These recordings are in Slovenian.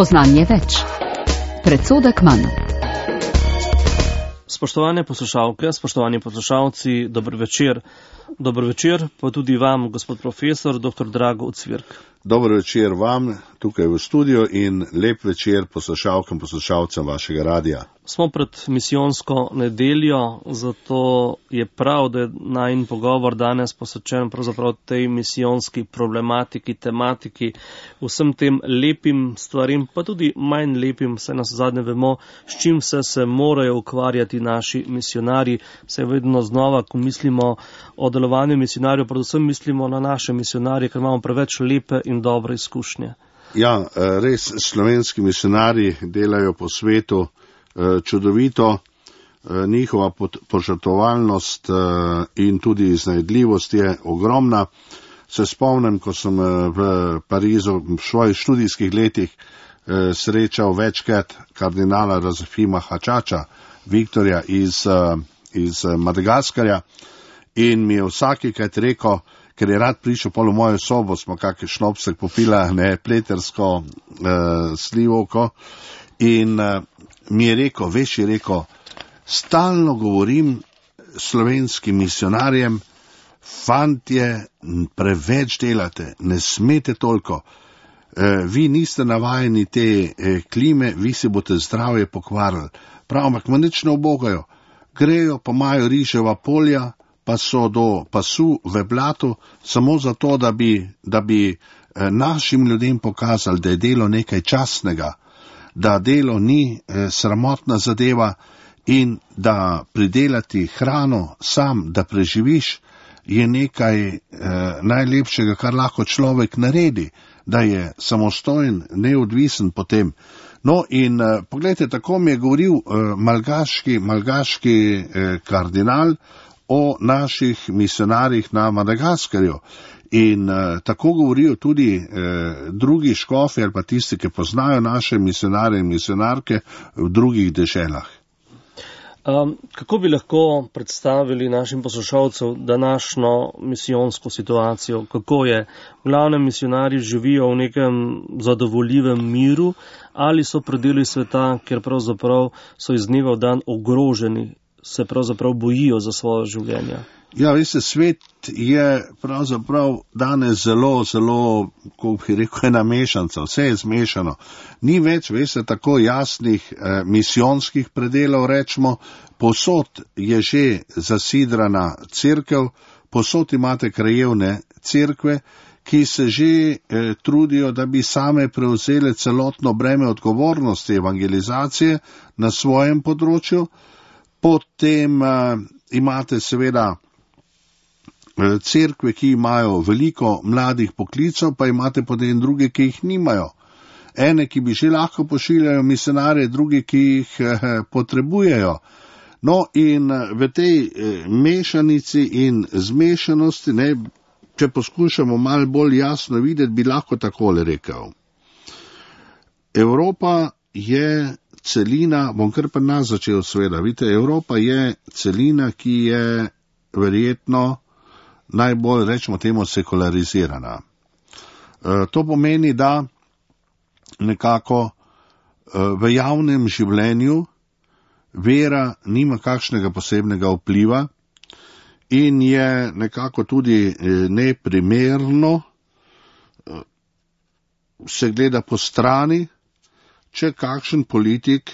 Spoznanje več. Predsodek manj. Spoštovane poslušalke, spoštovani poslušalci, dober večer. Dober večer pa tudi vam, gospod profesor, dr. Drago Ucvirk. Dober večer vam tukaj v studiu in lep večer poslušalkam, poslušalcem vašega radija. Smo pred misijonsko nedeljo, zato je prav, da je najin pogovor danes posvečen pravzaprav tej misijonski problematiki, tematiki, vsem tem lepim stvarim, pa tudi manj lepim, saj nas zadnje vemo, s čim se morajo ukvarjati naši misionarji. Se vedno znova, ko mislimo o delovanju misionarjev, predvsem mislimo na naše misionarje, ker imamo preveč lepe in dobre izkušnje. Ja, res slovenski misionarji delajo po svetu čudovito, njihova požrtvovalnost in tudi iznajdljivost je ogromna. Se spomnim, ko sem v Parizu v svojih študijskih letih srečal večkrat kardinala Razafima Hačača, Viktorja iz Madagaskarja, in mi je vsakikrat rekel, ker je rad prišel pol v mojo sobo, smo kakšen šnopsek popila, pletersko slivovko, in mi je rekel, stalno govorim slovenskim misionarjem, fantje, preveč delate, ne smete toliko, vi niste navajeni te klime, vi si boste zdravje pokvarili. Prav, ampak me nič ne ubogajo, grejo pa imajo riževa polja, pa so do pasu v blatu, samo zato, da bi našim ljudem pokazali, da je delo nekaj častnega, da delo ni sramotna zadeva in da pridelati hrano sam, da preživiš, je nekaj najlepšega, kar lahko človek naredi, da je samostojen, neodvisen potem. No in pogledajte, tako mi je govoril malgaški kardinal o naših misionarjih na Madagaskarju. In tako govorijo tudi drugi škofi ali pa tisti, ki poznajo naše misionarje in misionarke v drugih deželah. Kako bi lahko predstavili našim poslušalcem današnjo misijonsko situacijo? Kako je? V glavnem misionarji živijo v nekem zadovoljivem miru ali so predeli sveta, kjer pravzaprav so iz dneva v dan ogroženi, se pravzaprav bojijo za svoje življenje? Ja, veste, svet je pravzaprav danes zelo, kako bi rekel, ena mešanca, vse je zmešano. Ni več, veste, tako jasnih misijonskih predelov, rečemo, posod je že zasidrana cerkev, posod imate krajevne cerkve, ki se že trudijo, da bi same prevzele celotno breme odgovornosti evangelizacije na svojem področju. Potem imate seveda cerkve, ki imajo veliko mladih poklicov, pa imate potem druge, ki jih nimajo. Ene, ki bi že lahko pošiljajo misionarje, drugi, ki jih potrebujejo. No in v tej mešanici in zmešanosti, če poskušamo malo bolj jasno videti, bi lahko takole rekel. Evropa je celina, bom kar pa nas začel seveda, vidite, Evropa je celina, ki je verjetno najbolj, rečemo temu, sekularizirana. To pomeni, da nekako v javnem življenju vera nima kakšnega posebnega vpliva in je nekako tudi neprimerno se gleda po strani, če kakšen politik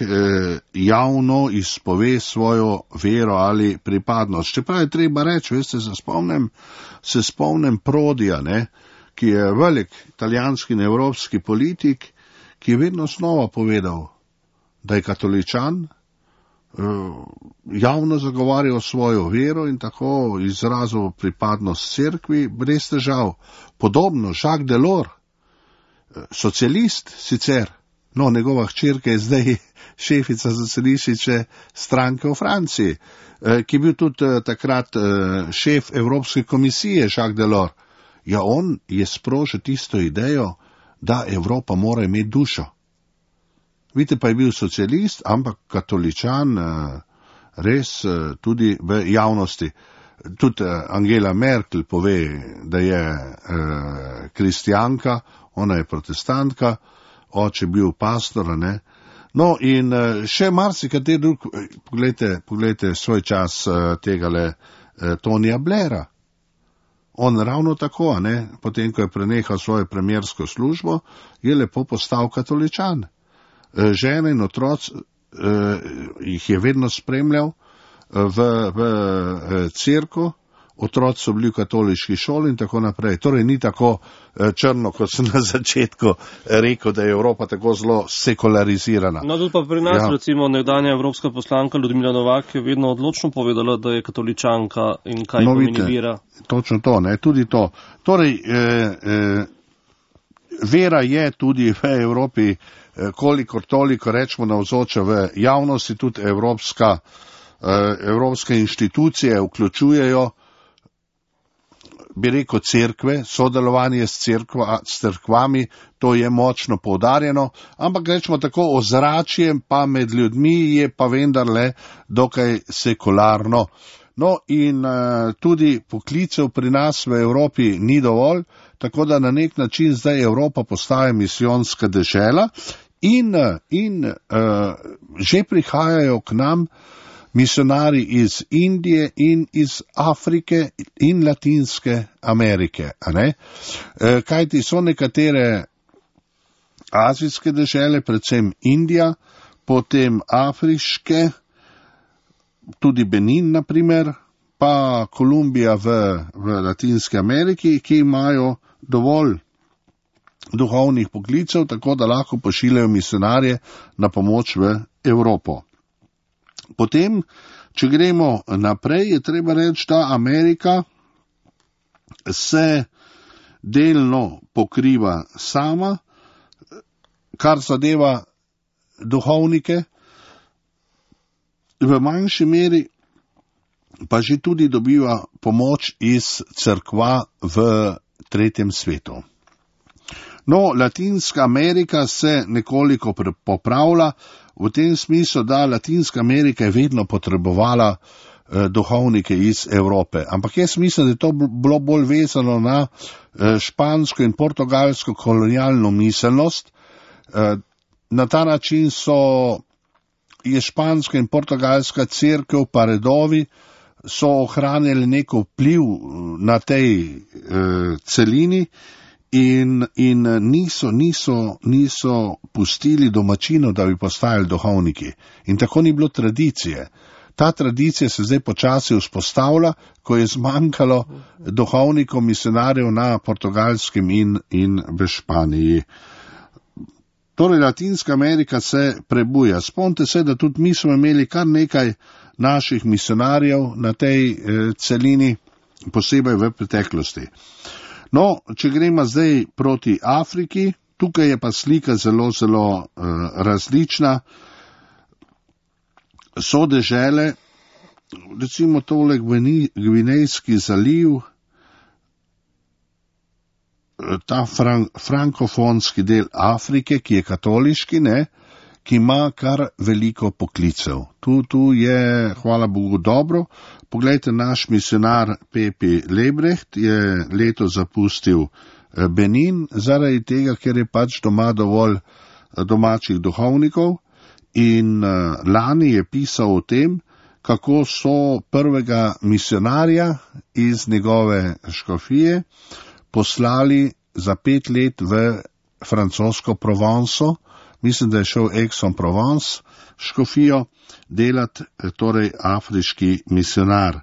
javno izpove svojo vero ali pripadnost. Čeprav je treba reči, veste, se spomnim Prodija, ki je velik italijanski in evropski politik, ki je vedno znova povedal, da je katoličan, javno zagovarjal svojo vero in tako izrazil pripadnost cerkvi brez težav. Podobno Jacques Delors, socialist sicer, no, njegova hčerka je zdaj šefica socialistične stranke v Franciji, ki je bil tudi takrat šef Evropske komisije, Jacques Delors. Ja, on je sprožil tisto idejo, da Evropa mora imeti dušo. Vidite, pa je bil socialist, ampak katoličan res tudi v javnosti. Tudi Angela Merkel pove, da je kristjanka, ona je protestantka, oče bil pastor, ne. No, in še marsikateri drug, poglejte svoj čas tegale Tonija Blaira. On ravno tako, ne, potem, ko je prenehal svojo premiersko službo, je lepo postal katoličan. Žene in otroci jih je vedno spremljal v cerkev, otroci so bili v katoliški šoli in tako naprej. Torej ni tako črno, kot sem na začetku rekel, da je Evropa tako zelo sekularizirana. No, tudi pa pri nas, recimo, nekdanja evropska poslanka Ljudmila Novak je vedno odločno povedala, da je katoličanka in kaj pomeni vera. Točno to, ne, tudi to. Torej, vera je tudi v Evropi, kolikor toliko rečemo navzoča v javnosti, tudi evropske inštitucije vključujejo, bi rekel, cerkve, sodelovanje s cerkvami, to je močno poudarjeno, ampak rečemo tako, ozračje pa med ljudmi je pa vendarle dokaj sekularno. No in tudi poklicev pri nas v Evropi ni dovolj, tako da na nek način zdaj Evropa postaja misijonska dežela in že prihajajo k nam misionari iz Indije in iz Afrike in Latinske Amerike. Kajti so nekatere azijske dežele, predvsem Indija, potem afriške, tudi Benin, naprimer, pa Kolumbija v Latinske Ameriki, ki imajo dovolj duhovnih poklicev, tako da lahko pošiljajo misionarje na pomoč v Evropo. Potem, če gremo naprej, je treba reči, da Amerika se delno pokriva sama, kar zadeva duhovnike, v manjši meri pa že tudi dobiva pomoč iz cerkva v tretjem svetu. No, Latinska Amerika se nekoliko popravlja, v tem smislu, da Latinska Amerika je vedno potrebovala duhovnike iz Evrope. Ampak jaz mislim, da je to bilo bolj vezano na špansko in portugalsko kolonialno miselnost. Na ta način je španska in portugalska cerkev pa redovi so ohranjali neko vpliv na tej celini in niso pustili domačinov, da bi postajali duhovniki. In tako ni bilo tradicije. Ta tradicija se zdaj počasi vzpostavlja, ko je zmanjkalo duhovnikov, misionarjev na Portugalskem in v Španiji. Torej, Latinska Amerika se prebuja. Spomnite se, da tudi mi smo imeli kar nekaj naših misionarjev na tej celini, posebej v preteklosti. No, če gremo zdaj proti Afriki, tukaj je pa slika zelo, zelo različna. So dežele, recimo tole Gvinejski zaliv, ta frankofonski del Afrike, ki je katoliški, ki ima kar veliko poklicev. Tu je, hvala Bogu, dobro. Poglejte, naš misionar Pepi Lebrecht je leto zapustil Benin, zaradi tega, ker je pač doma dovolj domačih duhovnikov, in lani je pisal o tem, kako so prvega misionarja iz njegove škofije poslali za 5 let v francosko Provenco, mislim, da je šel Aix-en-Provence škofijo delati, torej afriški misionar.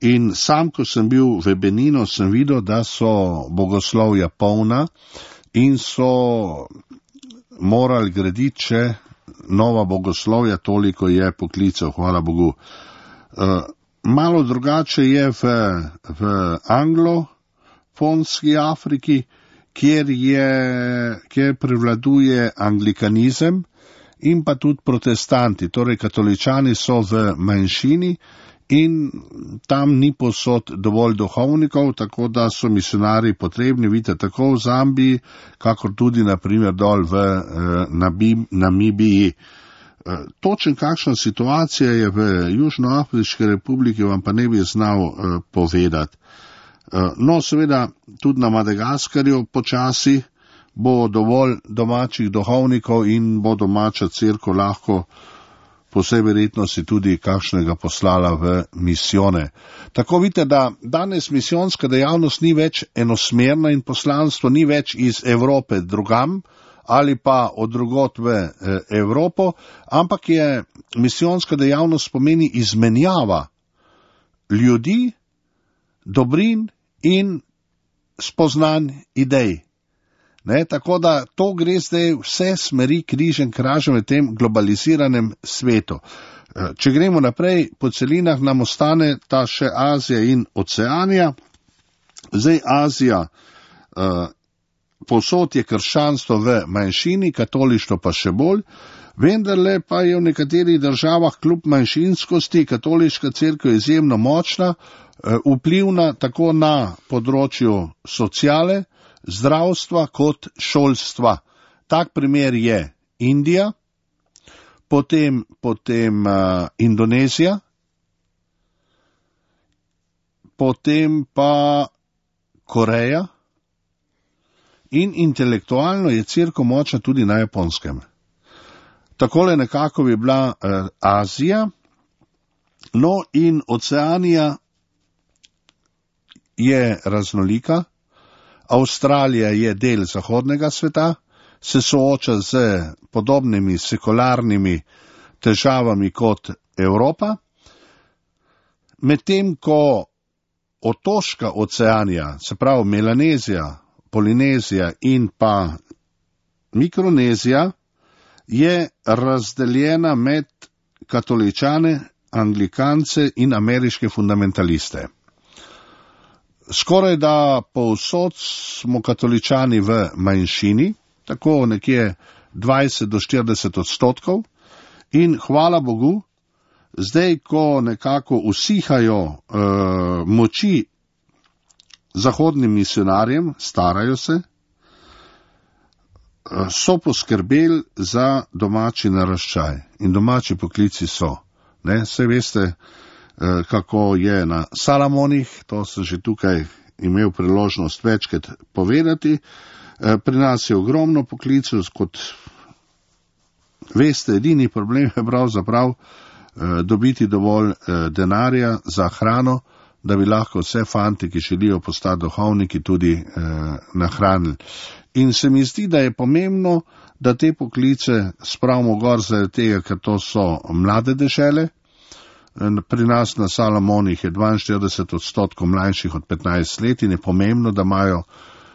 In sam, ko sem bil v Beninu, sem videl, da so bogoslovja polna in so morali graditi še nova bogoslovja, toliko je poklicev, hvala Bogu. Malo drugače je v anglofonski Afriki, kjer prevladuje anglikanizem in pa tudi protestanti, torej katoličani so v manjšini in tam ni povsod dovolj duhovnikov, tako da so misionari potrebni, vidite, tako v Zambiji, kakor tudi naprimer dol v Namibiji. Točen kakšna situacija je v Južnoafriški republiki, vam pa ne bi znal povedati. No, seveda, tudi na Madagaskarju počasi bo dovolj domačih duhovnikov in bo domača cerkev lahko po vsej verjetnosti tudi kakšnega poslala v misijone. Tako vidite, da danes misijonska dejavnost ni več enosmerna in poslanstvo ni več iz Evrope drugam ali pa od drugot v Evropo, ampak je misijonska dejavnost pomeni izmenjava ljudi, dobrin in spoznanj idej. Ne, tako da to gre zdaj vse smeri križem kražem v tem globaliziranem svetu. Če gremo naprej, po celinah nam ostane ta še Azija in Oceanija. Zdaj Azija, povsod je krščanstvo v manjšini, katolištvo pa še bolj, vendarle pa je v nekaterih državah kljub manjšinskosti katoliška cerkev izjemno močna, vplivna tako na področju sociale, zdravstva kot šolstva. Tak primer je Indija, potem Indonezija, potem pa Koreja in intelektualno je cerkev močna tudi na Japonskem. Takole nekako bi bila Azija, no in Oceanija je raznolika. Avstralija je del zahodnega sveta, se sooča z podobnimi sekularnimi težavami kot Evropa, medtem ko otoška Oceanija, se pravi Melanezija, Polinezija in pa Mikronezija, je razdeljena med katoličane, anglikance in ameriške fundamentaliste. Skoraj da povsod smo katoličani v manjšini, tako nekje 20 do 40%, in hvala Bogu, zdaj, ko nekako usihajo moči zahodnim misionarjem, starajo se, so poskrbeli za domači naraščaj in domači poklici so. Ne, saj veste, kako je na Salamonih, to sem že tukaj imel priložnost večkrat povedati. Pri nas je ogromno poklicov, kot veste, edini problem je pravzaprav dobiti dovolj denarja za hrano, da bi lahko vse fanti, ki želijo postati duhovniki, tudi nahranili. In se mi zdi, da je pomembno, da te poklice spravimo gor zaradi tega, ker to so mlade dežele. Pri nas na Salamonih je 42% mlajših od 15 let in je pomembno, da imajo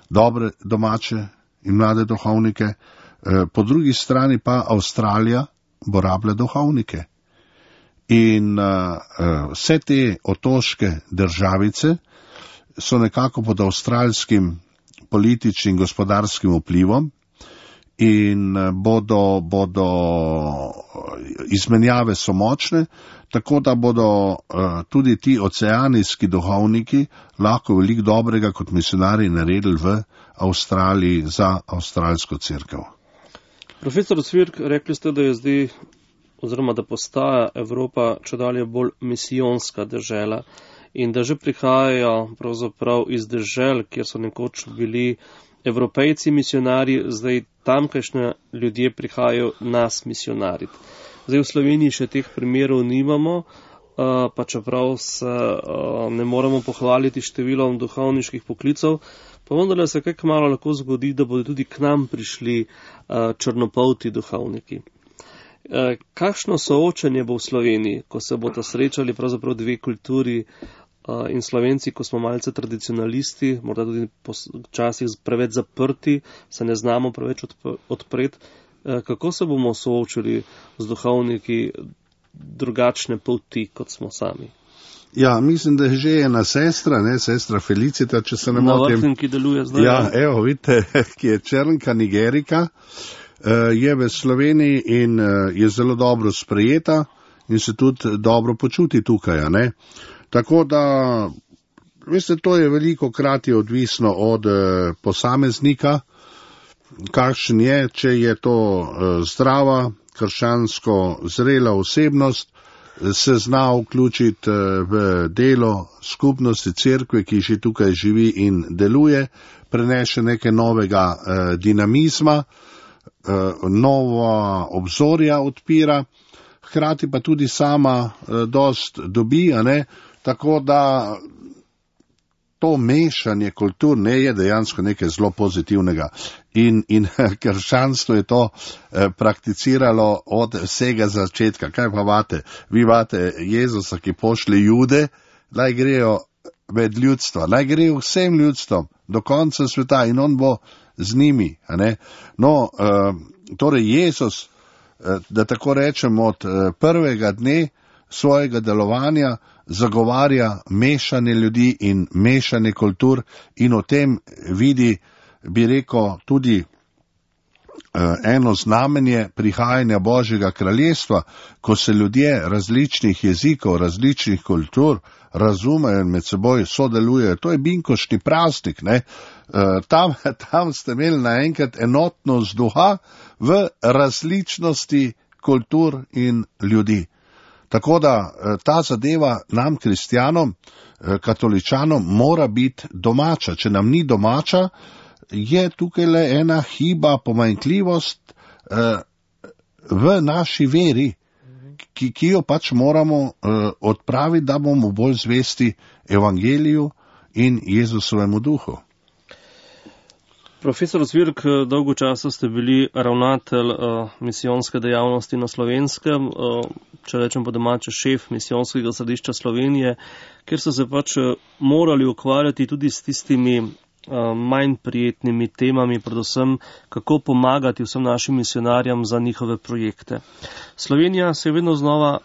dobre domače in mlade duhovnike. Po drugi strani pa Avstralija bo rabila duhovnike. In vse te otoške državice so nekako pod avstralskim političnim in gospodarskim vplivom in bodo izmenjave so močne, tako da bodo tudi ti oceanijski duhovniki lahko veliko dobrega kot misionarji naredili v Avstraliji za avstralsko cerkev. Profesor Cvirk, rekli ste, da je zdaj, oziroma da postaja Evropa čedalje bolj misijonska dežela in da že prihajajo pravzaprav iz dežel, kjer so nekoč bili Evropejci misionarji, zdaj tamkajšnje ljudje prihajajo nas misionariti. Zdaj v Sloveniji še teh primerov nimamo, pa čeprav se ne moremo pohvaliti številom duhovniških poklicov, pa vendarle se kaj kmalu lahko zgodi, da bodo tudi k nam prišli črnopolti duhovniki. Kakšno soočenje bo v Sloveniji, ko se bodo srečali pravzaprav dve kulturi in Slovenci, ko smo malce tradicionalisti, morda tudi včasih preveč zaprti, se ne znamo preveč odpreti. Kako se bomo soočili z duhovniki drugačne poti, kot smo sami? Ja, mislim, da je že ena sestra, sestra Felicita, če se ne motim. Na Vrhnjem, ki deluje zdaj. Ja, evo, vidite, ki je Črnka, Nigerika, je v Sloveniji in je zelo dobro sprejeta in se tudi dobro počuti tukaj, ne. Tako da, veste, to je veliko krat je odvisno od posameznika, kakšen je, če je to zdrava, krščansko zrela osebnost, se zna vključiti v delo skupnosti cerkve, ki že tukaj živi in deluje, prinese nekaj novega dinamizma, nova obzorja odpira, hkrati pa tudi sama dost dobi, tako da to mešanje kultur je dejansko nekaj zelo pozitivnega. In krščanstvo je to prakticiralo od vsega začetka. Kaj pa vate? Vi vate Jezusa, ki pošlje Jude, naj grejo med ljudstva, naj grejo vsem ljudstvom do konca sveta in on bo z njimi. Torej Jezus, da tako rečem, od prvega dne svojega delovanja zagovarja mešanje ljudi in mešanje kultur in o tem vidi, bi rekel, tudi eno znamenje prihajanja Božjega kraljestva, ko se ljudje različnih jezikov, različnih kultur razumejo in med seboj sodelujejo. To je binkošni praznik, Tam ste imeli naenkrat enotnost duha v različnosti kultur in ljudi. Tako da ta zadeva nam, kristjanom, katoličanom, mora biti domača. Če nam ni domača, je tukaj le ena hiba, pomanjkljivost v naši veri, ki jo pač moramo odpraviti, da bomo bolj zvesti evangeliju in Jezusovemu duhu. Profesor Zvirk, dolgo časa ste bili ravnatelj misijonske dejavnosti na Slovenskem, če rečem po domače šef misijonskega središča Slovenije, kjer so se pač morali ukvarjati tudi s tistimi manj prijetnimi temami, predvsem kako pomagati vsem našim misionarjem za njihove projekte. Slovenija se vedno znova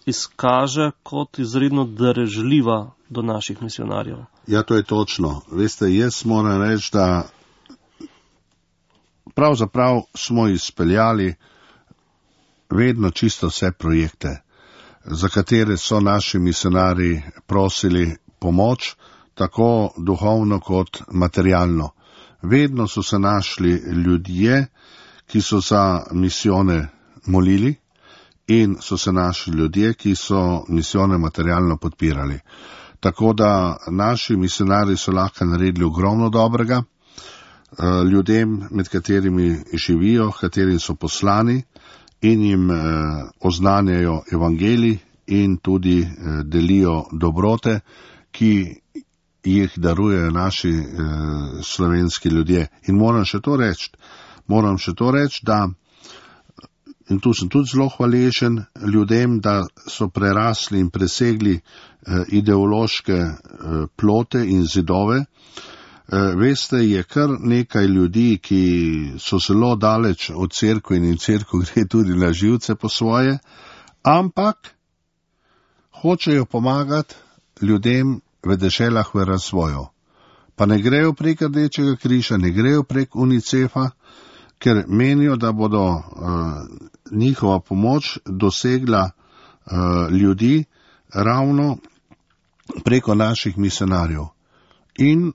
izkaže kot izredno darežljiva do naših misionarjev. Ja, to je točno. Veste, jaz moram reči, da pravzaprav smo izpeljali vedno čisto vse projekte, za katere so naši misionari prosili pomoč, tako duhovno kot materialno. Vedno so se našli ljudje, ki so za misijone molili, in so se našli ljudje, ki so misijone materialno podpirali. Tako da naši misionari so lahko naredili ogromno dobrega ljudem, med katerimi živijo, katerim so poslani, in jim oznanjajo evangelij in tudi delijo dobrote, ki jih darujejo naši slovenski ljudje. In moram še to reči, da, in tu sem tudi zelo hvaležen ljudem, da so prerasli in presegli ideološke plote in zidove. Veste, je kar nekaj ljudi, ki so zelo daleč od cerkve in cerkev gre tudi na živce po svoje, ampak hočejo pomagati ljudem v deželah v razvoju. Pa ne grejo prek Rdečega križa, ne grejo prek UNICEF-a, ker menijo, da bodo njihova pomoč dosegla ljudi ravno preko naših misionarjev. In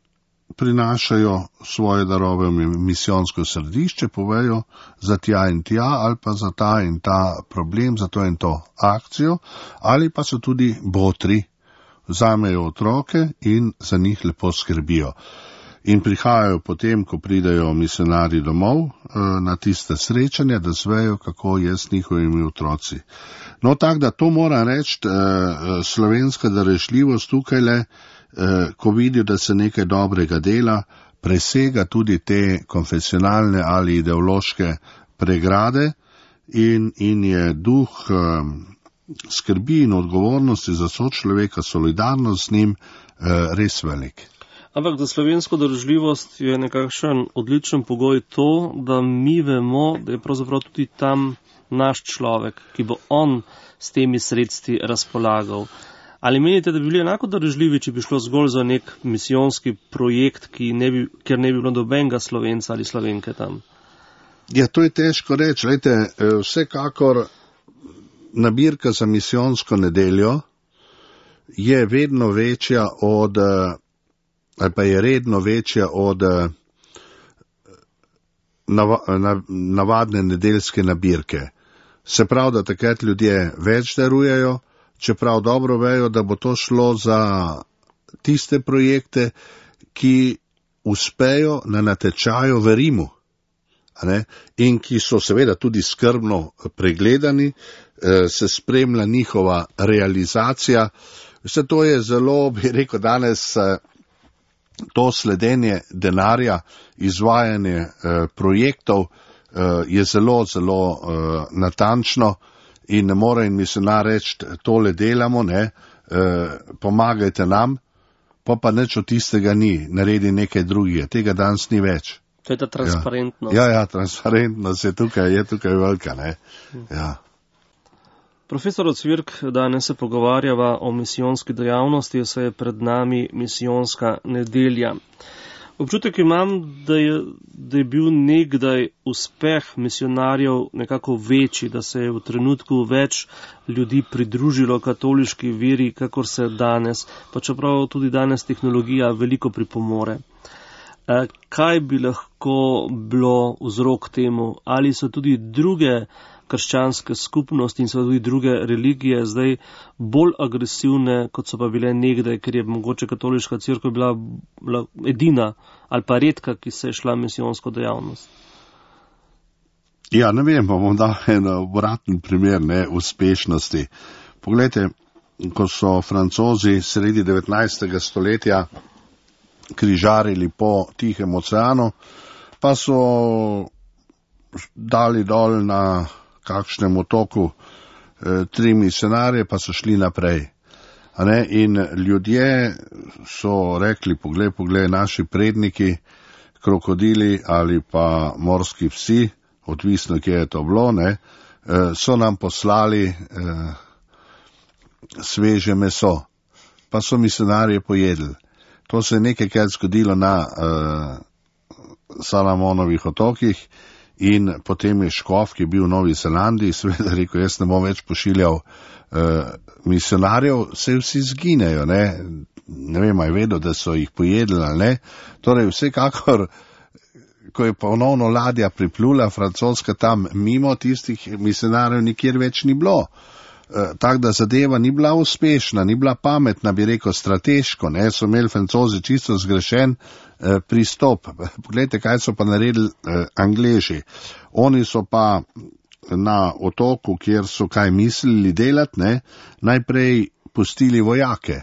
prinašajo svoje darove v misijonsko središče, povejo za tja in tja, ali pa za ta in ta problem, za to in to akcijo, ali pa so tudi botri, vzamejo otroke in za njih lepo skrbijo. In prihajajo potem, ko pridejo misionari domov, na tiste srečanja, da zvejo, kako je s njihovimi otroci. No, tako da to moram reči, slovenska darežljivost tukaj le, ko vidijo, da se nekaj dobrega dela, presega tudi te konfesionalne ali ideološke pregrade in je duh skrbi in odgovornosti za sočloveka, solidarnost z njim res velik. Ampak za slovensko darežljivost je nekakšen odličen pogoj to, da mi vemo, da je pravzaprav tudi tam naš človek, ki bo on s temi sredstvi razpolagal. Ali menite, da bi bili enako darežljivi, če bi šlo zgolj za nek misijonski projekt, kjer ne bi bilo nobenega Slovenca ali Slovenke tam? Ja, to je težko reči. Lejte, vsekakor nabirka za misijonsko nedeljo je vedno večja od, ali pa je redno večja od navadne nedeljske nabirke. Se pravi, da takrat ljudje več darujejo, čeprav dobro vejo, da bo to šlo za tiste projekte, ki uspejo na natečaju v Rimu, in ki so seveda tudi skrbno pregledani, se spremlja njihova realizacija. Vse to je zelo, bi rekel danes, to sledenje denarja, izvajanje projektov je zelo, zelo natančno in ne more in misionar reči, tole delamo, pomagajte nam, pa nič od tistega ni, naredi nekaj drugega, tega danes ni več. To je ta transparentnost. Ja, transparentnost je tukaj velika, Ja. Profesor Ocvirk, danes se pogovarjava o misijonski dejavnosti, saj je pred nami misijonska nedelja. Občutek imam, da je bil nekdaj uspeh misijonarjev nekako večji, da se je v trenutku več ljudi pridružilo katoliški veri, kakor se danes, pa čeprav tudi danes tehnologija veliko pripomore. Kaj bi lahko bilo vzrok temu? Ali so tudi druge krščanske skupnosti in so tudi druge religije zdaj bolj agresivne, kot so pa bile nekdaj, ker je mogoče katoliška cerkev bila edina ali pa redka, ki se je šla misijonsko dejavnost? Ja, ne vem, bom dal en obraten primer uspešnosti. Poglejte, ko so Francozi sredi 19. stoletja križarili po Tihem oceanu, pa so dali dol na kakšnem otoku 3 misionarje, pa so šli naprej. In ljudje so rekli, poglej, naši predniki, krokodili ali pa morski psi, odvisno, kje je to bilo, so nam poslali sveže meso, pa so misionarje pojedli. To se je nekajkrat zgodilo na Salamonovih otokih in potem je škof, ki je bil v Novi Zelandiji, seveda rekel, jaz ne bom več pošiljal misionarjev, se vsi zginejo, ne vem, je vedel, da so jih pojedli ali ne. Torej vsekakor, ko je ponovno ladja priplula, francoska tam mimo, tistih misionarjev nikjer več ni bilo. Tako da zadeva ni bila uspešna, ni bila pametna, bi rekel, strateško, so imeli Francozi čisto zgrešen pristop. Poglejte, kaj so pa naredili Angleži. Oni so pa na otoku, kjer so kaj mislili delati, najprej pustili vojake,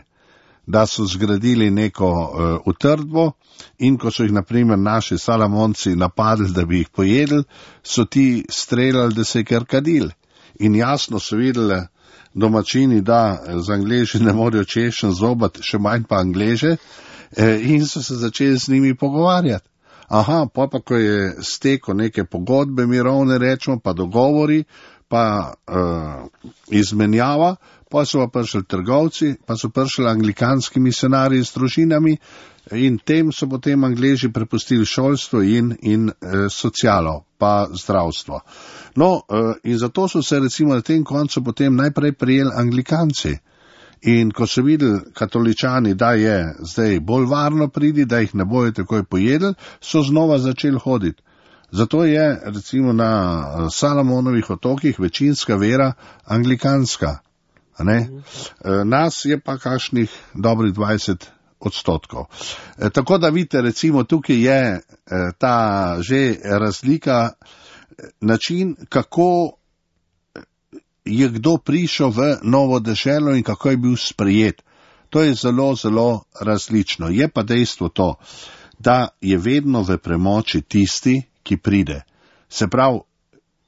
da so zgradili neko utrdbo in ko so jih, naprimer, naši Salamonci napadli, da bi jih pojedli, so ti streljali, da se je kar kadil. In jasno so videli domačini, da z Angleži ne morejo češen zobat, še manj pa Angleže, in so se začeli z njimi pogovarjati. Pa ko je stekel neke pogodbe mirovne, rečemo, pa dogovori, pa izmenjava, pa so pa prišli trgovci, pa so prišli anglikanski misionarji z družinami in tem so potem Angleži prepustili šolstvo in socialo, pa zdravstvo. In zato so se recimo na tem koncu potem najprej prijeli Anglikanci. In ko so videli katoličani, da je zdaj bolj varno pridi, da jih ne bojo takoj pojedli, so znova začeli hoditi. Zato je recimo na Salamonovih otokih večinska vera anglikanska. Nas je pa kakšnih dobrih 20%. Tako da vidite, recimo tukaj je ta že razlika, način, kako je kdo prišel v novo deželo in kako je bil sprejet. To je zelo, zelo različno. Je pa dejstvo to, da je vedno v premoči tisti, ki pride. Se pravi,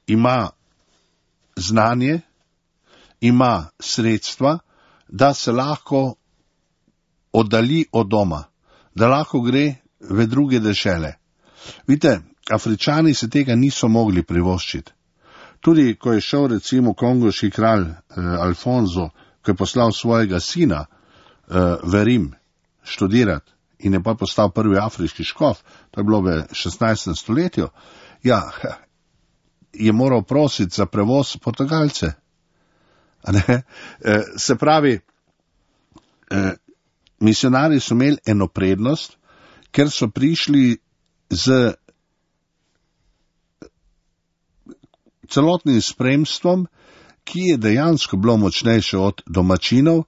ima znanje, ima sredstva, da se lahko oddalji od doma, da lahko gre v druge dežele. Vidite, Afričani se tega niso mogli privoščiti. Tudi, ko je šel recimo kongoški kralj Alfonso, ko je poslal svojega sina v Rim študirati in je pa postal prvi afriški škof, to je bilo v 16. stoletju, je moral prositi za prevoz Portugalce. Se pravi, misionarji so imeli eno prednost, ker so prišli z celotnim spremstvom, ki je dejansko bilo močnejše od domačinov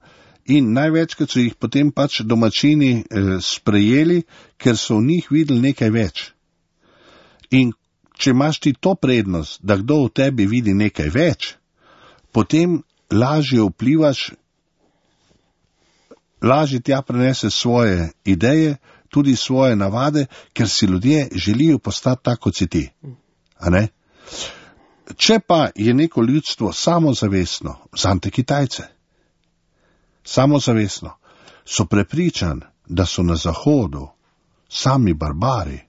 In največkrat so jih potem pač domačini sprejeli, ker so v njih videli nekaj več. In če imaš ti to prednost, da kdo v tebi vidi nekaj več, potem lažje vplivaš, lažje tja prenese svoje ideje, tudi svoje navade, ker si ljudje želijo postati tako, kot si ti. A ne? Če pa je neko ljudstvo samozavestno, vzamite Kitajce, samozavestno, so prepričani, da so na Zahodu sami barbari,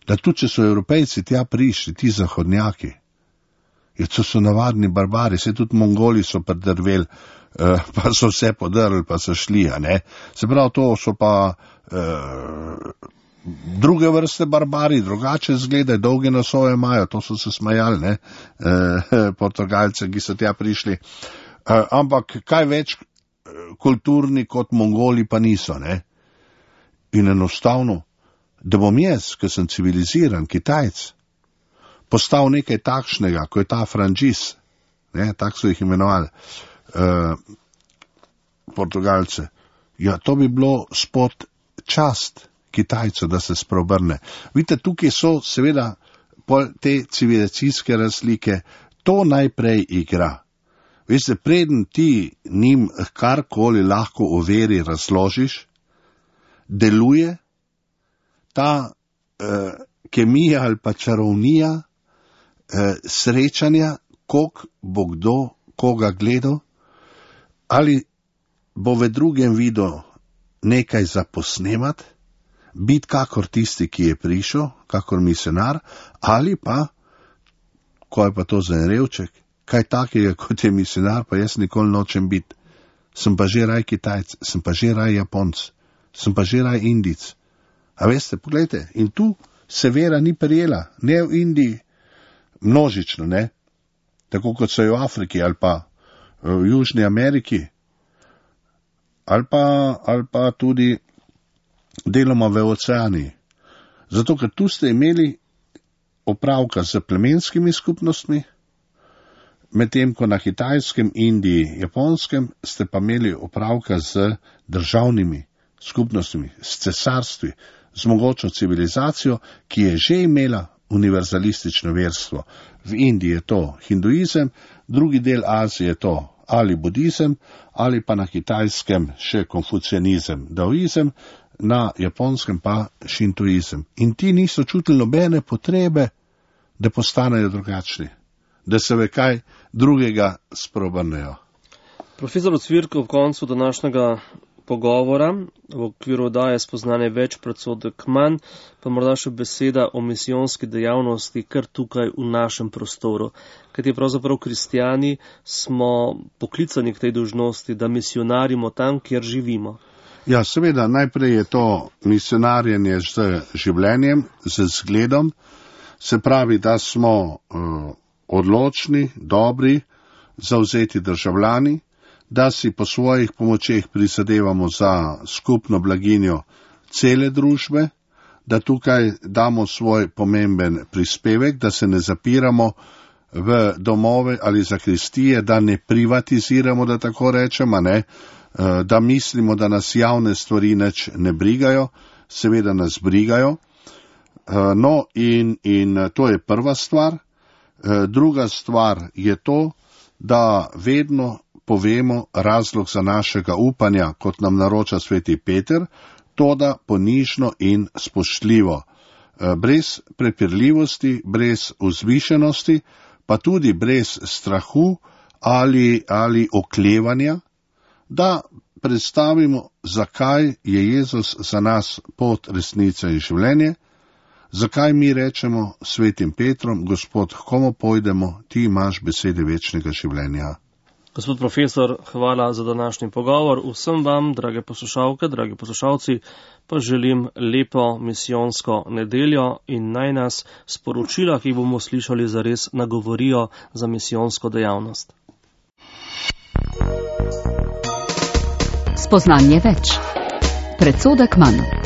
da tudi če so Evropejci tja prišli, ti zahodnjaki, to so navadni barbari, se tudi Mongoli so predrveli, pa so vse podrli, pa so šli, a ne. Se pravi, to so pa druge vrste barbari, drugače izgledajo, dolge nosove imajo, to so se smajali, ne, Portugalce, ki so tja prišli. Ampak kaj več kulturni kot Mongoli pa niso, ne. In enostavno, da bom jaz, ki sem civiliziran Kitajc, postal nekaj takšnega, ko je ta Frančis, ne, tak so jih imenovali, Portugalce. Ja, to bi bilo spod čast Kitajcu, da se spreobrne. Vidite, tukaj so seveda te civilizacijske razlike, to najprej igra. Veste, preden ti njim karkoli lahko o veri razložiš, deluje ta kemija ali pa čarovnija srečanja, koliko bo kdo koga gledal, ali bo v drugem videl nekaj za posnemat, biti kakor tisti, ki je prišel, kakor misionar, ali pa, ko je pa to za en revček, kaj takega kot je misionar, pa jaz nikoli nočem biti. Sem pa že raj Kitajc, sem pa že raj Japonc, sem pa že raj Indic. A veste, pogledajte, in tu se vera ni prijela, ne v Indiji, množično, ne, tako kot so v Afriki ali pa v Južni Ameriki, ali pa tudi deloma v Oceaniji. Zato, ker tu ste imeli opravka z plemenskimi skupnostmi, medtem ko na Kitajskem, Indiji, Japonskem ste pa imeli opravka z državnimi skupnostmi, s cesarstvi, z mogočno civilizacijo, ki je že imela univerzalistično verstvo. V Indiji je to hinduizem, drugi del Azije je to ali budizem, ali pa na Kitajskem še konfucianizem, daoizem, na Japonskem pa šintoizem. In ti niso čutili nobene potrebe, da postanejo drugačni, da se ve kaj drugega spreobrnejo. Profesor Ocvirk, v koncu današnjega pogovora, v okviru oddaje Spoznanje več, predsodek manj, pa morda še beseda o misijonski dejavnosti kar tukaj v našem prostoru. Kajti pravzaprav kristijani smo poklicani k tej dolžnosti, da misionarimo tam, kjer živimo. Ja, seveda, najprej je to misionarjenje z življenjem, z zgledom, se pravi, da smo odločni, dobri, zavzeti državljani, da si po svojih pomočeh prizadevamo za skupno blaginjo cele družbe, da tukaj damo svoj pomemben prispevek, da se ne zapiramo v domove ali zakristije, da ne privatiziramo, da tako rečemo, ne, da mislimo, da nas javne stvari nič ne brigajo, seveda nas brigajo. No, in to je prva stvar. Druga stvar je to, da vedno povemo razlog za našega upanja, kot nam naroča sveti Peter, to da ponižno in spoštljivo, brez prepirljivosti, brez vzvišenosti, pa tudi brez strahu ali oklevanja, da predstavimo, zakaj je Jezus za nas pot, resnica in življenje, zakaj mi rečemo svetim Petrom, Gospod, h komu pojdemo, ti imaš besede večnega življenja. Gospod profesor, hvala za današnji pogovor. Vsem vam, drage poslušalke, dragi poslušalci, pa želim lepo misijonsko nedeljo in naj nas sporočila, ki bomo slišali, zares nagovorijo za misijonsko dejavnost. Spoznanje več. Predsodek manj.